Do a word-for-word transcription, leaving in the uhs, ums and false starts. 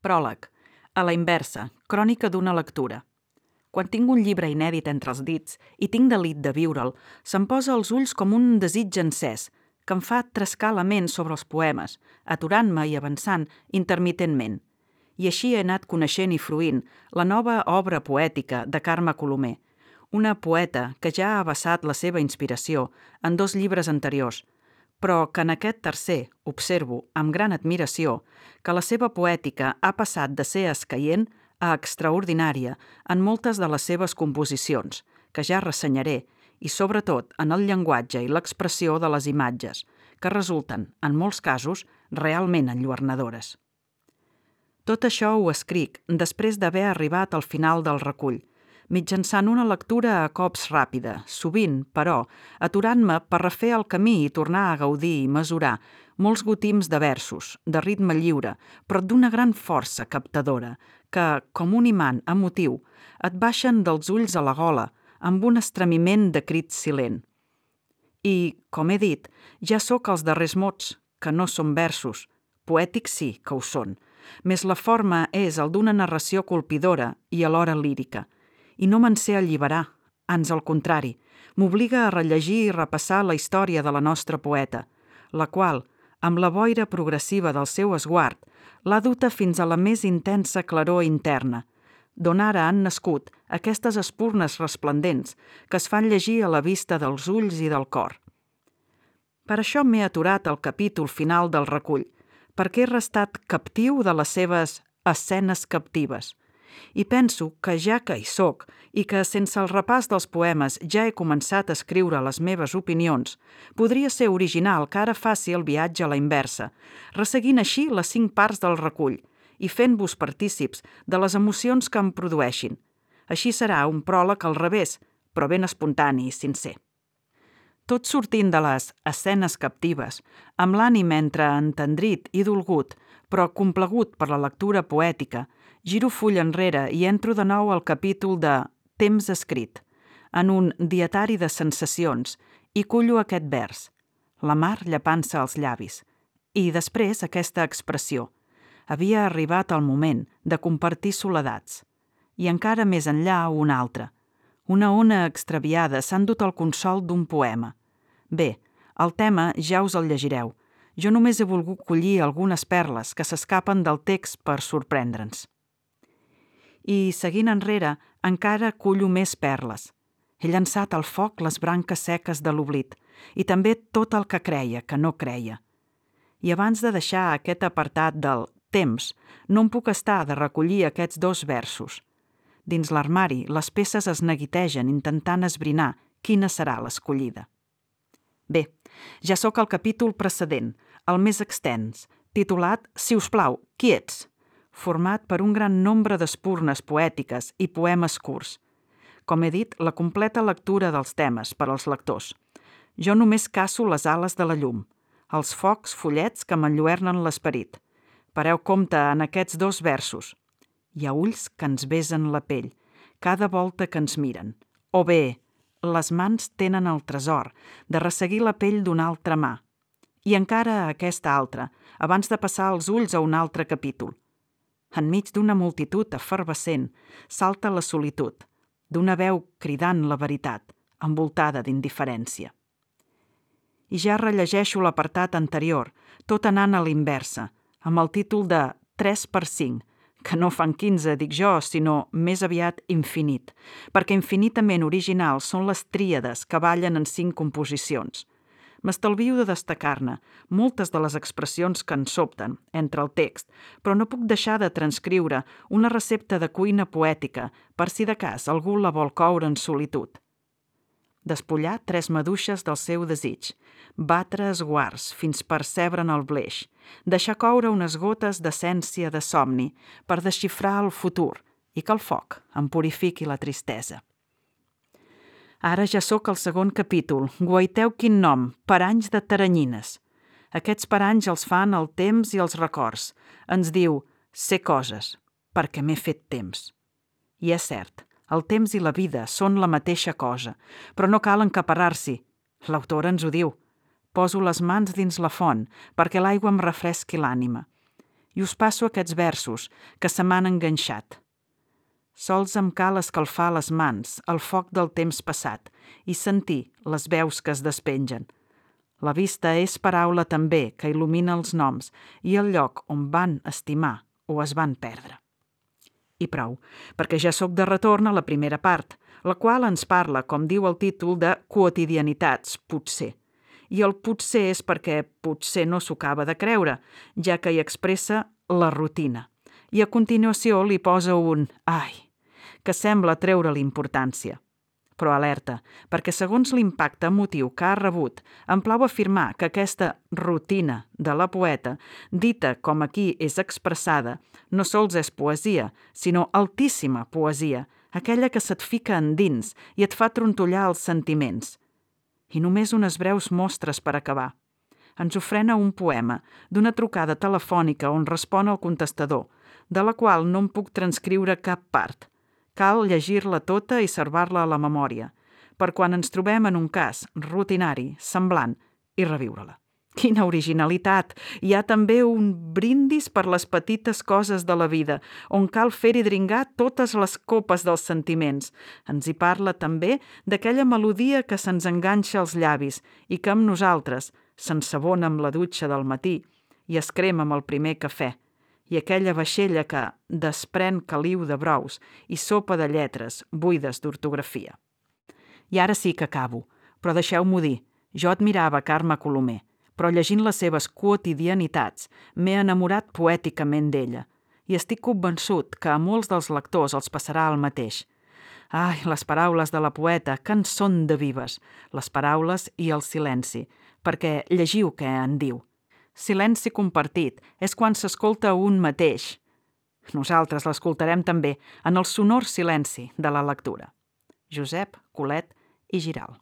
Pròleg. A la inversa, crònica d'una lectura. Quan tinc un llibre inèdit entre els dits i tinc delit de viure'l, se'm posa als ulls com un desig encès, que em fa trescar la ment sobre els poemes, aturant-me i avançant intermitentment. I així he anat coneixent i fruint la nova obra poètica de Carme Colomer, una poeta que ja ha vessat la seva inspiració en dos llibres anteriors, però que en aquest tercer observo, amb gran admiració, que la seva poètica ha passat de ser escaient a extraordinària en moltes de les seves composicions, que ja ressenyaré, i sobretot en el llenguatge i l'expressió de les imatges, que resulten, en molts casos, realment enlluernadores. Tot això ho escric després d'haver arribat al final del recull, mitjançant una lectura a cops ràpida, sovint, però, aturant-me per refer el camí i tornar a gaudir i mesurar molts gotims de versos, de ritme lliure, però d'una gran força captadora, que, com un imant emotiu, et baixen dels ulls a la gola, amb un estremiment de crit silent. I, com he dit, ja sóc els darrers mots, que no són versos. Poètics sí que ho són, més la forma és el d'una narració colpidora i alhora lírica. I no me'n sé alliberar, ans al contrari, m'obliga a rellegir i repassar la història de la nostra poeta, la qual, amb la boira progressiva del seu esguard, l'ha duta fins a la més intensa claror interna, d'on ara han nascut aquestes espurnes resplendents que es fan llegir a la vista dels ulls i del cor. Per això m'he aturat al capítol final del recull, perquè he restat captiu de les seves escenes captives. I penso que ja que hi soc i que sense el repàs dels poemes ja he començat a escriure les meves opinions, podria ser original que ara faci el viatge a la inversa, resseguint així les cinc parts del recull i fent-vos partícips de les emocions que em produeixin. Així serà un pròleg al revés, però ben espontani i sincer. Tot sortint de les escenes captives, amb l'ànim entre entendrit i dolgut, però complagut per la lectura poètica, giro full enrere i entro de nou al capítol de Temps escrit, en un dietari de sensacions, i cullo aquest vers, la mar llepant-se als llavis, i després aquesta expressió. Havia arribat el moment de compartir soledats, i encara més enllà una altra. Una ona extraviada s'ha endut el consol d'un poema. Bé, el tema ja us el llegireu. Jo només he volgut collir algunes perles que s'escapen del text per sorprendre'ns. I, seguint enrere, encara cullo més perles. He llançat al foc les branques seques de l'oblit i també tot el que creia que no creia. I abans de deixar aquest apartat del temps, no em puc estar de recollir aquests dos versos. Dins l'armari, les peces es neguitegen intentant esbrinar quina serà l'escollida. Bé, ja sóc al capítol precedent, el més extens, titulat Si us plau, qui ets?, format per un gran nombre d'espurnes poètiques i poemes curts. Com he dit, la completa lectura dels temes per als lectors. Jo només caço les ales de la llum, els focs follets que m'enlluernen l'esperit. Pareu compte en aquests dos versos. Hi ha ulls que ens besen la pell, cada volta que ens miren. O bé, les mans tenen el tresor de resseguir la pell d'una altra mà. I encara aquesta altra, abans de passar els ulls a un altre capítol. Enmig d'una multitud efervescent salta la solitud, d'una veu cridant la veritat, envoltada d'indiferència. I ja rellegeixo l'apartat anterior, tot anant a l'inversa, amb el títol de tres per cinc, que no fan quinze, dic jo, sinó més aviat infinit, perquè infinitament originals són les tríades que ballen en cinc composicions. M'estalvio de destacar-ne moltes de les expressions que ens sobten entre el text, però no puc deixar de transcriure una recepta de cuina poètica per si de cas algú la vol coure en solitud. Despullar tres maduixes del seu desig, batre esguards fins percebre'n el bleix, deixar coure unes gotes d'essència de somni per desxifrar el futur i que el foc em purifiqui la tristesa. Ara ja sóc al segon capítol, guaiteu quin nom, paranys de taranyines. Aquests paranys els fan el temps i els records. Ens diu, sé coses, perquè m'he fet temps. I és cert, el temps i la vida són la mateixa cosa, però no cal encaparrar-s'hi. L'autora ens ho diu. Poso les mans dins la font perquè l'aigua em refresqui l'ànima. i us passo aquests versos que se m'han enganxat. Sols em cal escalfar les mans al foc del temps passat i sentir les veus que es despengen. La vista és paraula també que il·lumina els noms i el lloc on van estimar o es van perdre. I prou, perquè ja sóc de retorn a la primera part, la qual ens parla, com diu el títol, de quotidianitats, potser. I el potser és perquè potser no s'ho acaba de creure, ja que hi expressa la rutina. I a continuació li posa un «ai», que sembla treure l'importància. Però alerta, perquè segons l'impacte emotiu que ha rebut, em plau afirmar que aquesta rutina de la poeta, dita com aquí és expressada, no sols és poesia, sinó altíssima poesia, aquella que se't fica endins i et fa trontollar els sentiments. I només unes breus mostres per acabar. Ens ofrena un poema d'una trucada telefònica on respon el contestador, de la qual no em puc transcriure cap part. Cal llegir-la tota i servar-la a la memòria, per quan ens trobem en un cas rutinari, semblant, i reviure-la. Quina originalitat! Hi ha també un brindis per les petites coses de la vida, on cal fer-hi dringar totes les copes dels sentiments. Ens hi parla també d'aquella melodia que se'ns enganxa als llavis i que amb nosaltres s'ensabona amb la dutxa del matí i es crema amb el primer cafè. I aquella vaixella que desprèn caliu de brous i sopa de lletres buides d'ortografia. I ara sí que acabo, però deixeu-m'ho dir, jo admirava Carme Colomer, però llegint les seves quotidianitats m'he enamorat poèticament d'ella i estic convençut que a molts dels lectors els passarà el mateix. Ai, les paraules de la poeta, que en són de vives, les paraules i el silenci, perquè llegiu què en diu. Silenci compartit és quan s'escolta un mateix. Nosaltres l'escoltarem també en el sonor silenci de la lectura. Josep Colet i Giral.